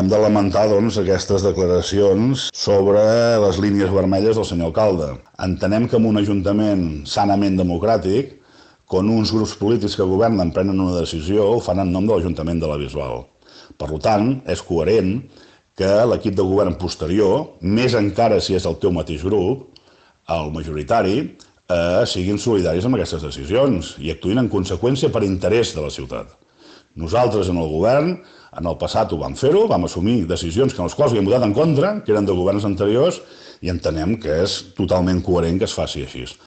hem de lamentar, doncs, aquestes declaracions sobre les línies vermelles del senyor alcalde. Entenem que en un ajuntament sanament democràtic, quan uns grups polítics que governen prenen una decisió, ho fan en nom de l'Ajuntament de la Bisbal. Per tant, és coherent que l'equip de govern posterior, més encara si és el teu mateix grup, el majoritari, siguin solidaris amb aquestes decisions i actuïn en conseqüència per interès de la ciutat. Nosaltres en el govern, en el passat ho vam fer-ho, vam assumir decisions en les quals havíem votat en contra, que eren de governs anteriors, i entenem que és totalment coherent que es faci així.